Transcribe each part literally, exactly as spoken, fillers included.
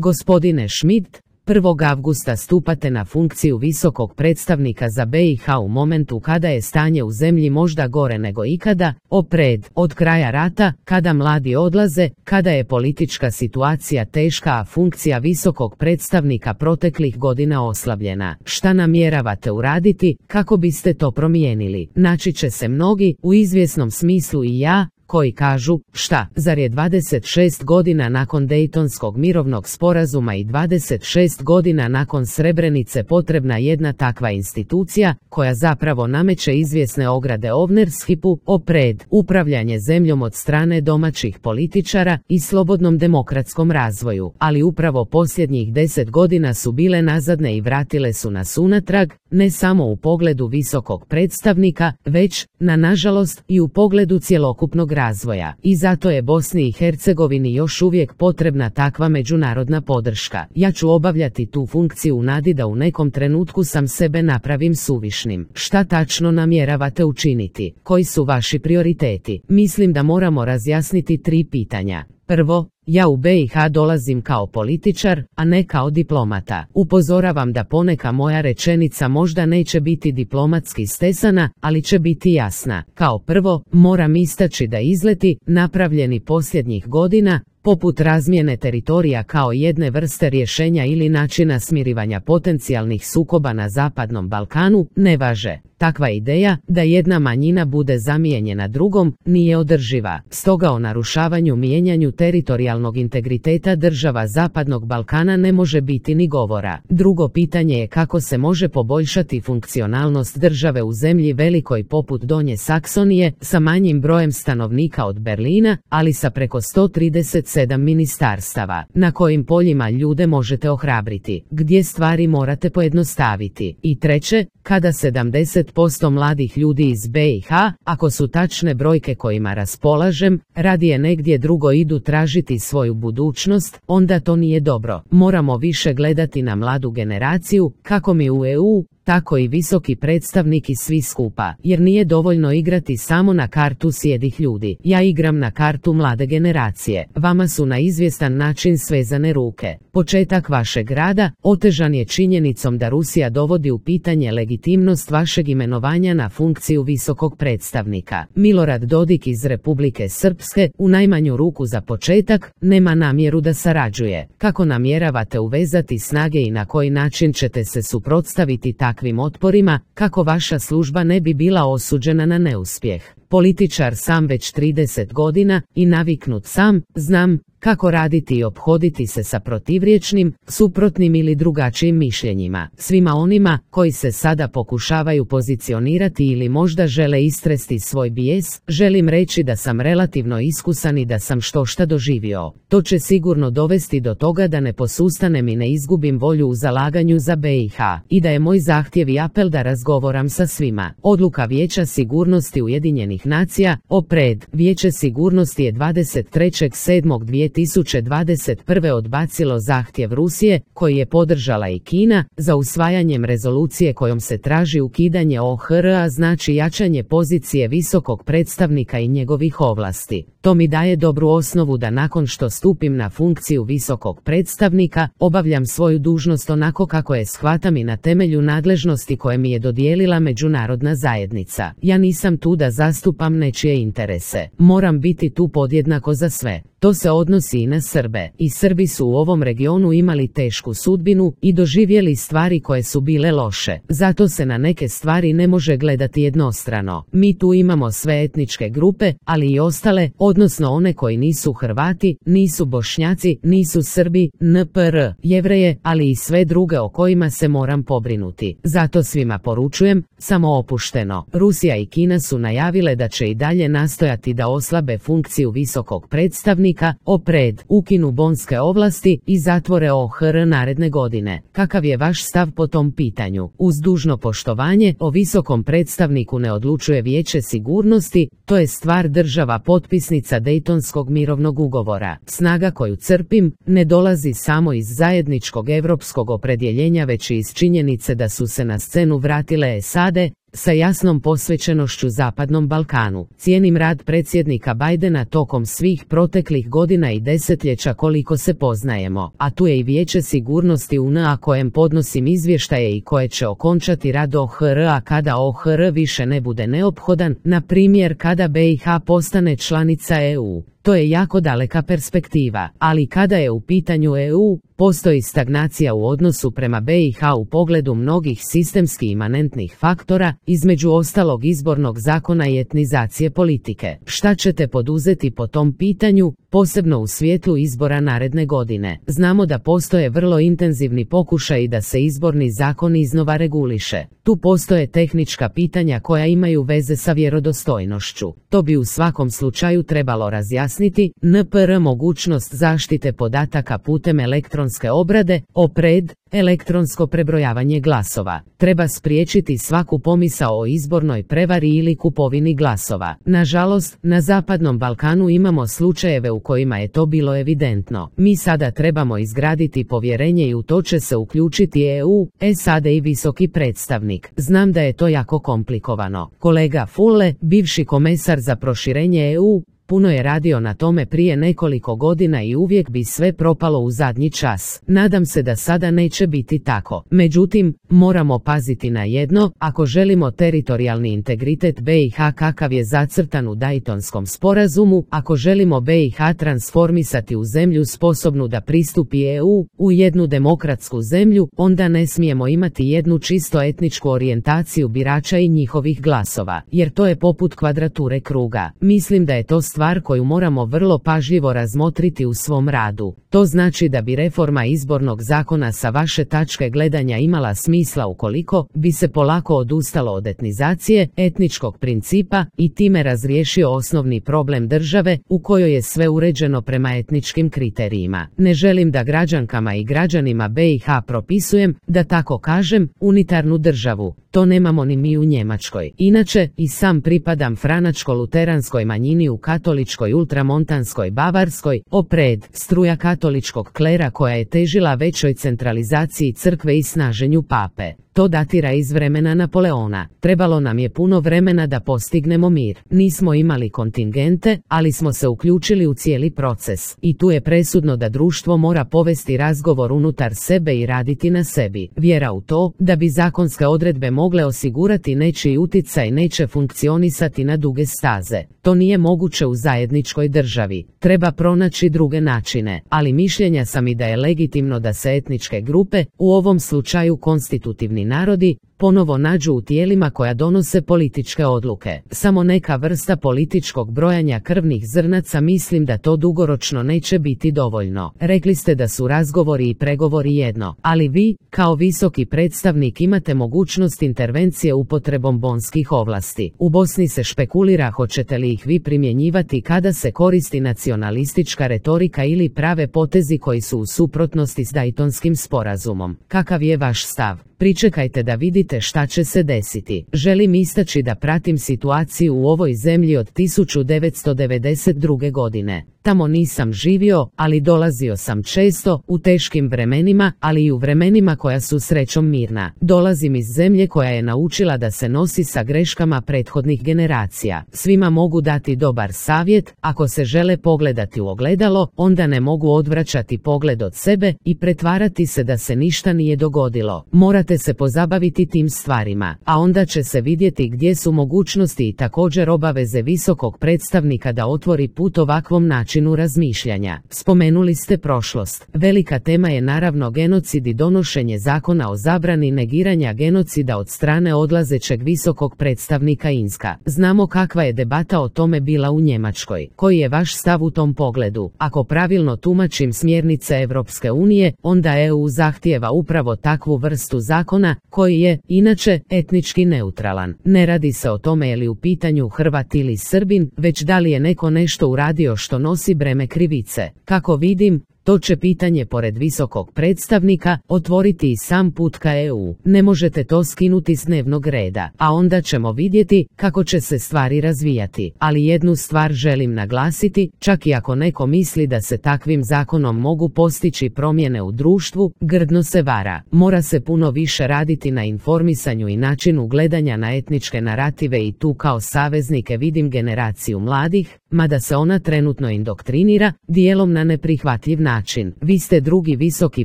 Gospodine Schmidt, prvog avgusta stupate na funkciju visokog predstavnika za B i H u momentu kada je stanje u zemlji možda gore nego ikada, opred, od kraja rata, kada mladi odlaze, kada je politička situacija teška, a funkcija visokog predstavnika proteklih godina oslabljena. Šta namjeravate uraditi, kako biste to promijenili? Naći će se mnogi, u izvjesnom smislu i ja, koji kažu, šta, zar je dvadeset šest godina nakon Dejtonskog mirovnog sporazuma i dvadeset šest godina nakon Srebrenice potrebna jedna takva institucija, koja zapravo nameće izvjesne ograde Ovnershipu, opred, upravljanje zemljom od strane domaćih političara i slobodnom demokratskom razvoju, ali upravo posljednjih deset godina su bile nazadne i vratile su nas unatrag, ne samo u pogledu visokog predstavnika, već, na nažalost, i u pogledu cjelokupnog razvoja. I zato je Bosni i Hercegovini još uvijek potrebna takva međunarodna podrška. Ja ću obavljati tu funkciju u nadi da u nekom trenutku sam sebe napravim suvišnim. Šta tačno namjeravate učiniti? Koji su vaši prioriteti? Mislim da moramo razjasniti tri pitanja. Prvo, ja u B i H dolazim kao političar, a ne kao diplomata. Upozoravam da poneka moja rečenica možda neće biti diplomatski stesana, ali će biti jasna. Kao prvo, moram istaći da izleti, napravljeni posljednjih godina, poput razmjene teritorija kao jedne vrste rješenja ili načina smirivanja potencijalnih sukoba na Zapadnom Balkanu, ne važe. Takva ideja, da jedna manjina bude zamijenjena drugom, nije održiva. Stoga o narušavanju mijenjanju teritorijalnog integriteta država Zapadnog Balkana ne može biti ni govora. Drugo pitanje je kako se može poboljšati funkcionalnost države u zemlji velikoj poput Donje Saksonije, sa manjim brojem stanovnika od Berlina, ali sa preko sto trideset sedam ministarstava. Na kojim poljima ljude možete ohrabriti, gdje stvari morate pojednostaviti. I treće, kada sedamdeset posto mladih ljudi iz B i H, ako su tačne brojke kojima raspolažem, radije negdje drugo idu tražiti svoju budućnost, onda to nije dobro. Moramo više gledati na mladu generaciju, kako mi u E U, tako i visoki predstavnik i svi skupa, jer nije dovoljno igrati samo na kartu sjedih ljudi. Ja igram na kartu mlade generacije. Vama su na izvjestan način svezane ruke. Početak vašeg rada otežan je činjenicom da Rusija dovodi u pitanje legitimnost vašeg imenovanja na funkciju visokog predstavnika. Milorad Dodik iz Republike Srpske, u najmanju ruku za početak, nema namjeru da sarađuje. Kako namjeravate uvezati snage i na koji način ćete se suprotstaviti takvim otporima, kako vaša služba ne bi bila osuđena na neuspjeh? Političar sam već trideset godina i naviknut sam, znam kako raditi i ophoditi se sa protivriječnim, suprotnim ili drugačijim mišljenjima. Svima onima koji se sada pokušavaju pozicionirati ili možda žele istresti svoj bijes, želim reći da sam relativno iskusan i da sam štošta doživio. To će sigurno dovesti do toga da ne posustanem i ne izgubim volju u zalaganju za B i H. I da je moj zahtjev i apel da razgovaram sa svima. Odluka Vijeća sigurnosti Ujedinjenih nacija, opred, Vijeće sigurnosti je dvadeset trećeg sedmog dvije tisuće dvadeset prve odbacilo zahtjev Rusije, koji je podržala i Kina, za usvajanjem rezolucije kojom se traži ukidanje O H R A, znači jačanje pozicije visokog predstavnika i njegovih ovlasti. To mi daje dobru osnovu da nakon što stupim na funkciju visokog predstavnika, obavljam svoju dužnost onako kako je shvatam i na temelju nadležnosti koje mi je dodijelila međunarodna zajednica. Ja nisam tu da zastupam nečije interese. Moram biti tu podjednako za sve. To se odnosi i na Srbe. I Srbi su u ovom regionu imali tešku sudbinu i doživjeli stvari koje su bile loše. Zato se na neke stvari ne može gledati jednostrano. Mi tu imamo sve etničke grupe, ali i ostale, odnosno one koji nisu Hrvati, nisu Bošnjaci, nisu Srbi, N P R, Jevreje, ali i sve druge o kojima se moram pobrinuti. Zato svima poručujem, samo opušteno. Rusija i Kina su najavile da će i dalje nastojati da oslabe funkciju visokog predstavnika, opred, ukinu bonske ovlasti i zatvore O H R naredne godine. Kakav je vaš stav po tom pitanju? Uz dužno poštovanje, o visokom predstavniku ne odlučuje Vijeće sigurnosti, to je stvar država potpisnica Dejtonskog mirovnog ugovora. Snaga koju crpim ne dolazi samo iz zajedničkog europskog opredjeljenja, već i iz činjenice da su se na scenu vratile S A D, sa jasnom posvećenošću Zapadnom Balkanu. Cijenim rad predsjednika Bidena tokom svih proteklih godina i desetljeća koliko se poznajemo, a tu je i Vijeće sigurnosti U N A kojem podnosim izvještaje i koje će okončati rad O H R-a kada O H R više ne bude neophodan, na primjer kada B i H postane članica E U. To je jako daleka perspektiva, ali kada je u pitanju E U, postoji stagnacija u odnosu prema B i H u pogledu mnogih sistemski imanentnih faktora, između ostalog izbornog zakona i etnizacije politike. Šta ćete poduzeti po tom pitanju, posebno u svjetlu izbora naredne godine? Znamo da postoje vrlo intenzivni pokušaji da se izborni zakon iznova reguliše. Tu postoje tehnička pitanja koja imaju veze sa vjerodostojnošću. To bi u svakom slučaju trebalo razjasniti. N P R mogućnost zaštite podataka putem elektronske obrade, O P R E D, elektronsko prebrojavanje glasova. Treba spriječiti svaku pomisao o izbornoj prevari ili kupovini glasova. Nažalost, na Zapadnom Balkanu imamo slučajeve u kojima je to bilo evidentno. Mi sada trebamo izgraditi povjerenje i u to će se uključiti E U, S A D i visoki predstavnik. Znam da je to jako komplikovano. Kolega Füle, bivši komesar za proširenje E U, puno je radio na tome prije nekoliko godina i uvijek bi sve propalo u zadnji čas. Nadam se da sada neće biti tako. Međutim, moramo paziti na jedno, ako želimo teritorijalni integritet B i H kakav je zacrtan u Daytonskom sporazumu, ako želimo B i H transformisati u zemlju sposobnu da pristupi E U, u jednu demokratsku zemlju, onda ne smijemo imati jednu čisto etničku orijentaciju birača i njihovih glasova, jer to je poput kvadrature kruga. Mislim da je to stvar koju moramo vrlo pažljivo razmotriti u svom radu. To znači da bi reforma izbornog zakona sa vaše tačke gledanja imala smisla ukoliko bi se polako odustalo od etnizacije, etničkog principa i time razriješio osnovni problem države u kojoj je sve uređeno prema etničkim kriterijima. Ne želim da građankama i građanima B i H propisujem, da tako kažem, unitarnu državu. To nemamo ni mi u Njemačkoj. Inače, i sam pripadam franačko-luteranskoj manjini u katoličkoj ultramontanskoj Bavarskoj, O P R E D, struja katoličkog klera koja je težila većoj centralizaciji crkve i snaženju pape. To datira iz vremena Napoleona. Trebalo nam je puno vremena da postignemo mir. Nismo imali kontingente, ali smo se uključili u cijeli proces. I tu je presudno da društvo mora povesti razgovor unutar sebe i raditi na sebi. Vjera u to, da bi zakonske odredbe mogle osigurati nečiji utjecaj neće funkcionisati na duge staze. To nije moguće u zajedničkoj državi. Treba pronaći druge načine, ali mišljenja sam i da je legitimno da se etničke grupe, u ovom slučaju konstitutivni narodi, ponovo nađu u tijelima koja donose političke odluke. Samo neka vrsta političkog brojanja krvnih zrnaca, mislim da to dugoročno neće biti dovoljno. Rekli ste da su razgovori i pregovori jedno, ali vi, kao visoki predstavnik, imate mogućnost intervencije upotrebom bonskih ovlasti. U Bosni se špekulira hoćete li ih vi primjenjivati kada se koristi nacionalistička retorika ili prave potezi koji su u suprotnosti s Daytonskim sporazumom. Kakav je vaš stav? Pričekajte da vidite šta će se desiti. Želim istaći da pratim situaciju u ovoj zemlji od tisuću devetsto devedeset druge. godine. Tamo nisam živio, ali dolazio sam često, u teškim vremenima, ali i u vremenima koja su srećom mirna. Dolazim iz zemlje koja je naučila da se nosi sa greškama prethodnih generacija. Svima mogu dati dobar savjet, ako se žele pogledati u ogledalo, onda ne mogu odvraćati pogled od sebe i pretvarati se da se ništa nije dogodilo. Morate se pozabaviti tim stvarima, a onda će se vidjeti gdje su mogućnosti i također obaveze visokog predstavnika da otvori put ovakvom načinu razmišljanja. Spomenuli ste prošlost. Velika tema je naravno genocid i donošenje zakona o zabrani negiranja genocida od strane odlazećeg visokog predstavnika Inska. Znamo kakva je debata o tome bila u Njemačkoj. Koji je vaš stav u tom pogledu? Ako pravilno tumačim smjernice Europske unije, onda E U zahtijeva upravo takvu vrstu zakona, koji je, inače, etnički neutralan. Ne radi se o tome je li u pitanju Hrvat ili Srbin, već da li je neko nešto uradio što nosi breme krivice. Kako vidim, To će pitanje pored visokog predstavnika otvoriti i sam put ka E U. Ne možete to skinuti s dnevnog reda, a onda ćemo vidjeti kako će se stvari razvijati. Ali jednu stvar želim naglasiti, čak i ako neko misli da se takvim zakonom mogu postići promjene u društvu, grdno se vara. Mora se puno više raditi na informisanju i načinu gledanja na etničke narative i tu kao saveznike vidim generaciju mladih, mada se ona trenutno indoktrinira, dijelom na neprihvatljiv način. Vi ste drugi visoki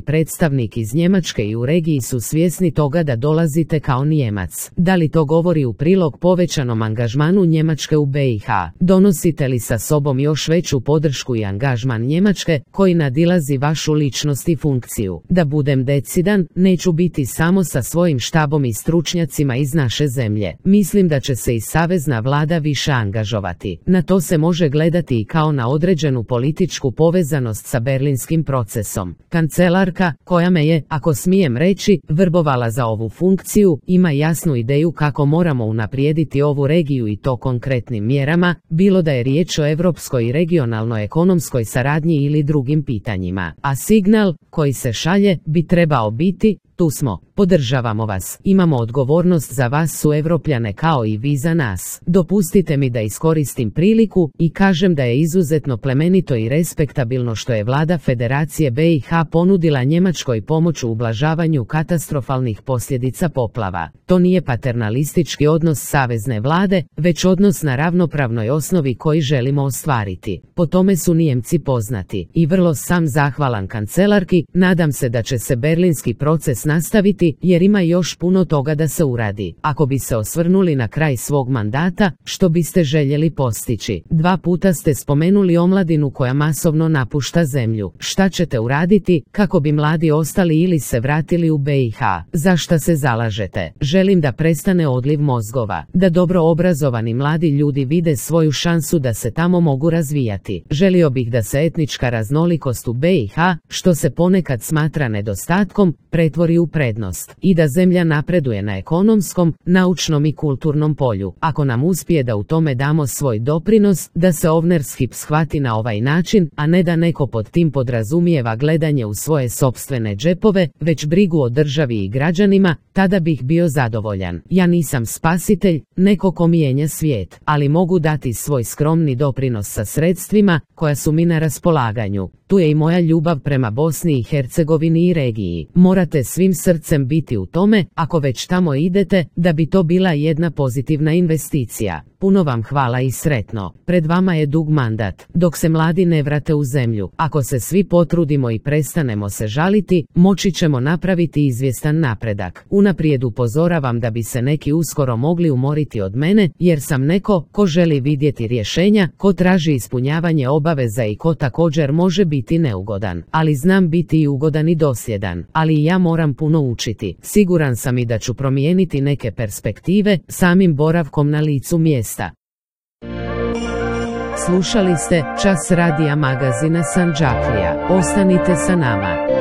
predstavnik iz Njemačke i u regiji su svjesni toga da dolazite kao Nijemac. Da li to govori u prilog povećanom angažmanu Njemačke u B i H? Donosite li sa sobom još veću podršku i angažman Njemačke koji nadilazi vašu ličnost i funkciju? Da budem decidan, neću biti samo sa svojim štabom i stručnjacima iz naše zemlje. Mislim da će se i savezna vlada više angažovati. Na to se može gledati i kao na određenu političku povezanost sa berlinskim procesom. Kancelarka, koja me je, ako smijem reći, vrbovala za ovu funkciju, ima jasnu ideju kako moramo unaprijediti ovu regiju i to konkretnim mjerama, bilo da je riječ o europskoj i regionalnoj ekonomskoj saradnji ili drugim pitanjima. A signal koji se šalje bi trebao biti: tu smo, podržavamo vas, imamo odgovornost za vas suevropljane kao i vi za nas. Dopustite mi da iskoristim priliku i kažem da je izuzetno plemenito i respektabilno što je vlada Federacije B i H ponudila Njemačkoj pomoć u ublažavanju katastrofalnih posljedica poplava. To nije paternalistički odnos savezne vlade, već odnos na ravnopravnoj osnovi koji želimo ostvariti. Po tome su Nijemci poznati i vrlo sam zahvalan kancelarki. Nadam se da će se berlinski proces nastaviti jer ima još puno toga da se uradi. Ako bi se osvrnuli na kraj svog mandata, što biste željeli postići? Dva puta ste spomenuli omladinu koja masovno napušta zemlju. Šta ćete uraditi kako bi mladi ostali ili se vratili u B i H? Za šta se zalažete? Želim da prestane odliv mozgova, da dobro obrazovani mladi ljudi vide svoju šansu da se tamo mogu razvijati. Želio bih da se etnička raznolikost u B i H, što se ponekad smatra nedostatkom, pretvori u prednost i da zemlja napreduje na ekonomskom, naučnom i kulturnom polju. Ako nam uspije da u tome damo svoj doprinos, da se Ovnership shvati na ovaj način, a ne da neko pod tim podrazumijeva gledanje u svoje sopstvene džepove, već brigu o državi i građanima, tada bih bio zadovoljan. Ja nisam spasitelj, neko ko mijenja svijet, ali mogu dati svoj skromni doprinos sa sredstvima koja su mi na raspolaganju. Tu je i moja ljubav prema Bosni i Hercegovini i regiji. Morate svim srcem biti u tome, ako već tamo idete, da bi to bila jedna pozitivna investicija. Puno vam hvala i sretno. Pred vama je dug mandat. Dok se mladi ne vrate u zemlju, ako se svi potrudimo i prestanemo se žaliti, moći ćemo napraviti izvjestan napredak. Unaprijed upozoravam da bi se neki uskoro mogli umoriti od mene, jer sam neko ko želi vidjeti rješenja, ko traži ispunjavanje obaveza i ko također može biti neugodan. Ali znam biti i ugodan i dosljedan. Ali i ja moram puno učiti. Siguran sam i da ću promijeniti neke perspektive samim boravkom na licu mjesta. Slušali ste Čas radija magazina Sandžaklija. Ostanite sa nama.